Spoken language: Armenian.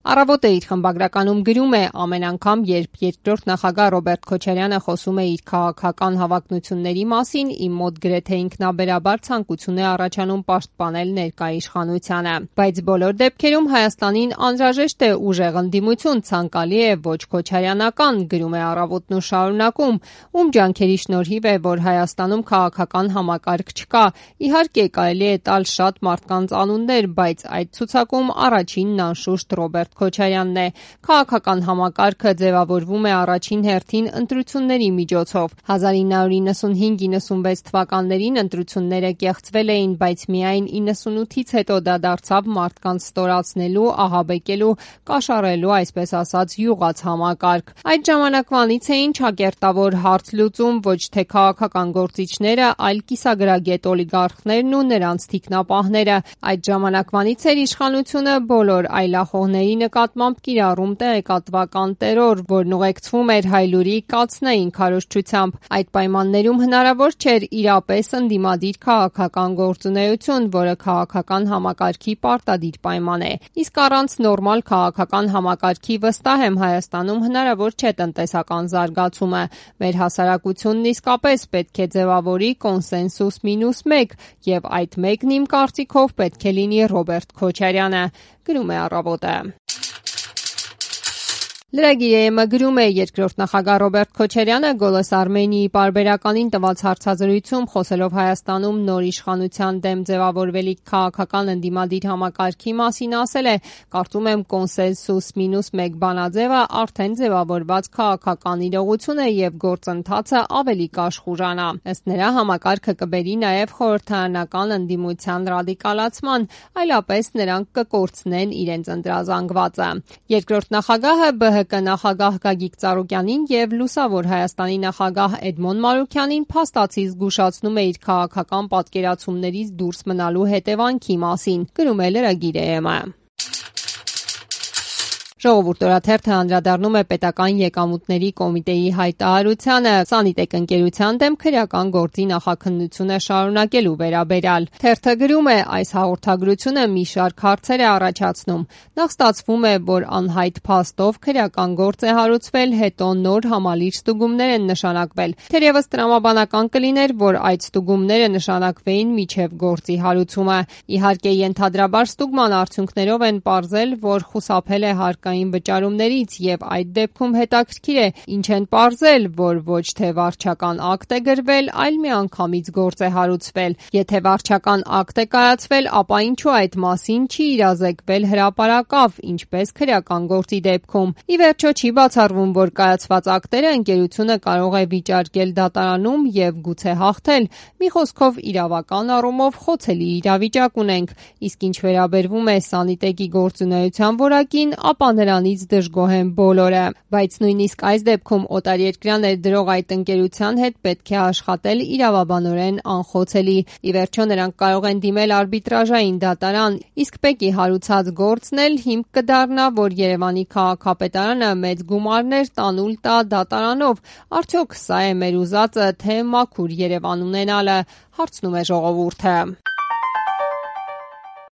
Առավոտը իր խմբագրականում գրում է. ամեն անգամ, երբ երկրորդ նախագահ Ռոբերտ Քոչարյանը խոսում է իր քաղաքական հավակնությունների մասին, իմ մոտ գրեթե ինքնաբերաբար ցանկություն է առաջանում պաշտպանել ներկա իշխանությանը։ Բայց բոլոր դեպքերում Հայաստանին անհրաժեշտ է ուժեղ ընդդիմություն, ցանկալի է ոչ քոչարյանական, գրում է Առավոտն ու շարունակում, ում ջանքերի շնորհիվ է, որ Հայաստանում քաղաքական համակարգ չկա։ Իհարկե, կարելի է տալ շատ մարդկանց անուններ, բայց այդ ցուցակում առաջինն անշուշտ Ռոբերտ Քոչարյանն է։ Քաղաքական համակարգը ձևավորվում է առաջին հերթին ընտրությունների միջոցով։ 1995-96 թվականներին ընտրությունները կեղծվել էին, բայց միայն 98-ից հետո դա դարձավ մարդկանց ստորացնելու, ահաբեկելու, կաշառելու, այսպես ասած, յուղաց համակարգ։ Այդ ժամանակվանից էին ճակերտավոր հարց լուծում ոչ թե քաղաքական գործիչները, այլ կիսագրագետ օլիգարխներն ու նրանց թիկնապահները։ Այդ ժամանակվանից էր իշխանությունը բոլոր այլախոհների նկատմամբ կիրառում տեղեկատվական տերոր, որն ուղեկցվում էր հայլուրի կացնային քարոզչությամբ։ Այդ պայմաններում հնարավոր չէր իրապես ընդդիմադիր քաղաքական գործունեություն, որը քաղաքական համակարգի պարտադիր պայման է։ Իսկ առանց նորմալ քաղաքական համակարգի վստահ եմ Հայաստանում հնարավոր չէ տնտեսական զարգացումը։ Մեր հասարակությունն իսկապես պետք է ձևավորի կոնսենսուս մինուս 1, եւ այդ մեկն իմ կարծիքով պետք է լինի Ռոբերտ Քոչարյանը, գրում է Առավոտը։ Lragir.am գրում է. երկրորդ նախագահ Ռոբերտ Քոչարյանը Գոլոս Արմենիի պարբերականին տված հարցազրույցում խոսելով Հայաստանում նոր իշխանության դեմ ձևավորվելիք քաղաքական ընդդիմադիր համակարգի մասին ասել է. կարծում եմ կոնսենսուս մինուս 1 բանաձևը արդեն ձևավորված քաղաքական իրողություն է եւ գործընթացը ավելի կաշխուրանա։ Ըստ նրա համակարգը կբերի նաեւ խորհրդարանական ընդդիմության ռադիկալացման, այլապես նրանք կկորցնեն իրենց ընտրազանգվածը։ Երկրորդ նախագահը ԲՀԿ նախագահ Գագիկ Ծառուկյանին եւ Լուսավոր Հայաստանի նախագահ Էդմոն Մանուկյանին փաստացի զգուշացնում է իր քաղաքական պատկերացումներից դուրս մնալու հետևանքի մասին, գրում է Lragir.am-ը։ Ժողովուրդ օրաթերթը անդրադառնում է պետական եկամուտների կոմիտեի հայտարարությանը Սանիտեկ ընկերության դեմ քրեական գործի նախաքննությունը շարունակելու վերաբերյալ։ Թերթը գրում է. այս հաղորդագրությունը մի շարք հարցեր է առաջացնում։ Նախ ստացվում է, որ անհայտ փաստով քրեական գործ է հարուցվել, հետո նոր համալիր ստուգումներ են նշանակվել։ Թերևս տրամաբանական կլիներ, որ այդ ստուգումները նշանակվեին միջև գործի հարուցումը։ Իհարկե, ենթադրաբար ստուգման արդյունքներով են պարզել, որ խուսափել է հարկային վճարումներից եւ այդ դեպքում հետաքրքիր է, ինչ են պարզել, որ ոչ թե վարչական ակտ է գրվել, այլ միանգամից գործ է հարուցվել։ Եթե վարչական ակտ է կայացվել, ապա ինչու այդ մասին չի իրազեկվել հրապարակավ, ինչպես քրեական գործի դեպքում։ Ի վերջո չի բացառվում, որ կայացված ակտերը ընկերությունը կարող է վիճարկել դատարանում եւ գուցե հաղթել։ Մի խոսքով իրավական առումով խոցելի իրավիճակ ունենք։ Իսկ ինչ վերաբերվում է Սանիտեկի գործունեության որակին, ապա նրանից դժգոհ են բոլորը։ Բայց նույնիսկ այս դեպքում օտարերկրյա ներդրող այդ ընկերության հետ պետք է աշխատել իրավաբանորեն անխոցելի։ Ի վերջո նրանք կարող են դիմել արբիտրաժային դատարան, իսկ ՊԵԿ-ի հարուցած գործն էլ հիմք կդառնա, որ Երևանի քաղաքապետարանը մեծ գումարներ տանուլ տա դատարանով։ Արդյոք սա է մեր ուզածը, թե մաքուր Երևան ունենալը, հարցնում է ժողովուրդը։